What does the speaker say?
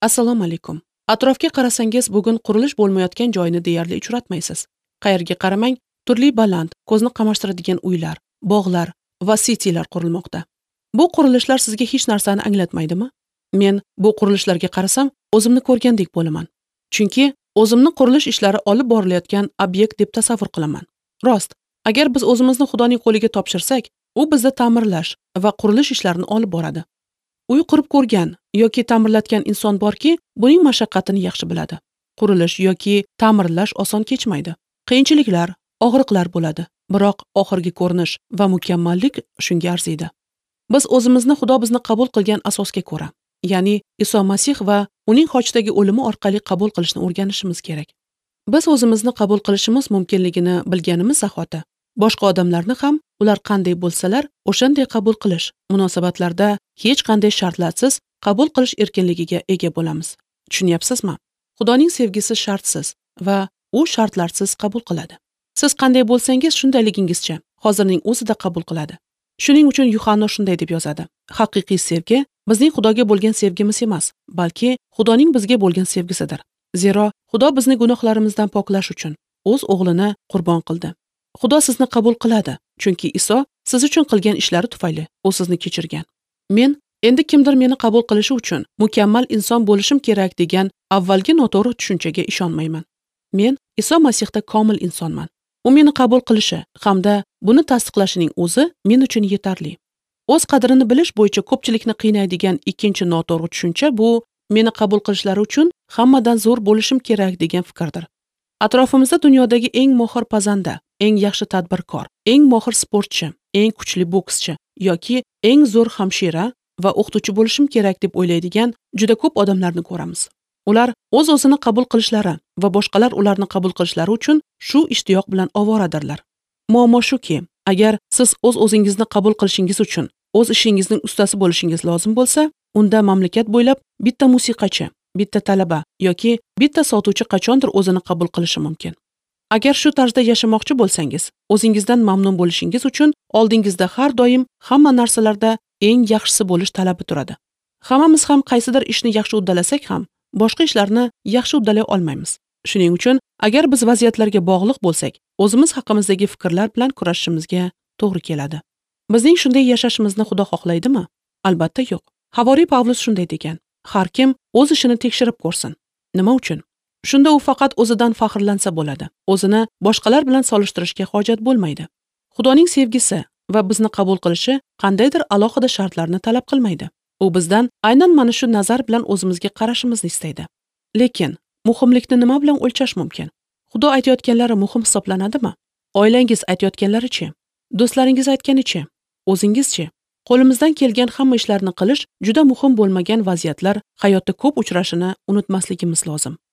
Assalomu alaykum. Atrofga qarasangiz, bugun qurilish bo'lmayotgan joyni deyarli uchratmaysiz. Qayerga qaramang, turli baland, ko'zni qamashtiradigan uylar, bog'lar va citylar qurilmoqda. Bu qurilishlar sizga hech narsani anglatmaydimi? Men bu qurilishlarga qarasam, o'zimni ko'rgandek bo'laman. Chunki o'zimni qurilish ishlari olib borilayotgan obyekt deb tasavvur qilaman. Rost, agar biz o'zimizni Xudoning qo'liga topshirsak, u bizni ta'mirlash va qurilish ishlarini olib boradi. Uy qurib ko'rgan yoki ta'mirlatgan inson borki, buning mashaqqatini yaxshi biladi. Qurilish yoki ta'mirlash oson kechmaydi. Qiyinchiliklar, og'riqlar bo'ladi, biroq oxirgi ko'rinish va mukammallik shunga arziydi. Biz o'zimizni Xudo bizni qabul qilgan asosga ko'ra, ya'ni Iso Masih va uning xochdagi o'limi orqali qabul qilishni o'rganishimiz kerak. Biz o'zimizni qabul qilishimiz mumkinligini bilganimiz zahoti, boshqa odamlarni ham ular qanday bo'lsalar, o'shanday qabul qilish, munosabatlarda hech qanday shartlarsiz qabul qilish erkinligiga ega bo'lamiz. Tushunyapsizmi? Xudoning sevgisi shartsiz va u shartlarsiz qabul qiladi. Siz qanday bo'lsangiz, shundayligingizcha hozirning o'zida qabul qiladi. Shuning uchun Yuhanna shunday deb yozadi: haqiqiy sevgi bizning Xudoga bo'lgan sevgimiz emas, balki Xudoning bizga bo'lgan sevgisidir. Zero Xudo bizni gunohlarimizdan poklash uchun o'z o'g'lini qurbon qildi. Xudo sizni qabul qiladi, chunki Iso siz uchun qilgan ishlari tufayli u sizni kechirgan. Men endi kimdir meni qabul qilishi uchun mukammal inson bo'lishim kerak degan avvalgi noto'g'ri tushunchaga ishonmayman. Men Iso Masihda komil insonman. U meni qabul qilishi hamda buni tasdiqlashining o'zi men uchun yetarli. O'z qadrini bilish bo'yicha ko'pchilikni qiynaydigan ikkinchi noto'g'ri tushuncha bu meni qabul qilishlari uchun hammadan zo'r bo'lishim kerak degan fikrdir. Atrofimizda dunyodagi eng mohir pazanda, eng yaxshi tadbirkor, eng mohir sportchi, eng kuchli bokschi yoki eng zo'r hamshira va o'qituvchi bo'lishim kerak deb o'ylaydigan juda ko'p odamlarni ko'ramiz. Ular o'z-o'zini qabul qilishlari va boshqalar ularni qabul qilishlari uchun shu ishtiyoq bilan ovoradirlar. Muammo shuki, agar siz o'z-o'zingizni qabul qilishingiz uchun o'z ishingizning ustasi bo'lishingiz lozim bo'lsa, unda mamlakat bo'ylab bitta musiqachi, bitta talaba yoki bitta sotuvchi qachondir o'zini qabul qilishi mumkin. Agar shu tarzda yashamoqchi bo'lsangiz, o'zingizdan mamnun bo'lishingiz uchun oldingizda har doim hamma narsalarda eng yaxshisi bo'lish talabi turadi. Hammamiz ham qaysidir ishni yaxshi uddalasak ham, boshqa ishlarni yaxshi uddalay olmaymiz. Shuning uchun agar biz vaziyatlarga bog'liq bo'lsak, o'zimiz haqimizdagi fikrlar bilan kurashishimizga to'g'ri keladi. Bizning shunday yashashimizni Xudo xohlaydimi? Albatta yo'q. Havoriy Pavlus shunday degan: har kim o'z ishini tekshirib ko'rsin. Nima uchun? Shunda u faqat o'zidan faxrlansa bo'ladi. O'zini boshqalar bilan solishtirishga hojat bo'lmaydi. Xudoning sevgisi va bizni qabul qilishi qandaydir alohida shartlarni talab qilmaydi. U bizdan aynan mana shu nazar bilan o'zimizga qarashimizni istaydi. Lekin muhimlikni nima bilan o'lchash mumkin? Xudo aytayotganlari muhim hisoblanadimi? Oilangiz aytayotganlarichi? Do'stlaringiz aytganichi? O'zingizchi? Qo'limizdan kelgan hamma ishlarni qilish juda muhim bo'lmagan vaziyatlar hayotda ko'p uchrashini unutmasligimiz lozim.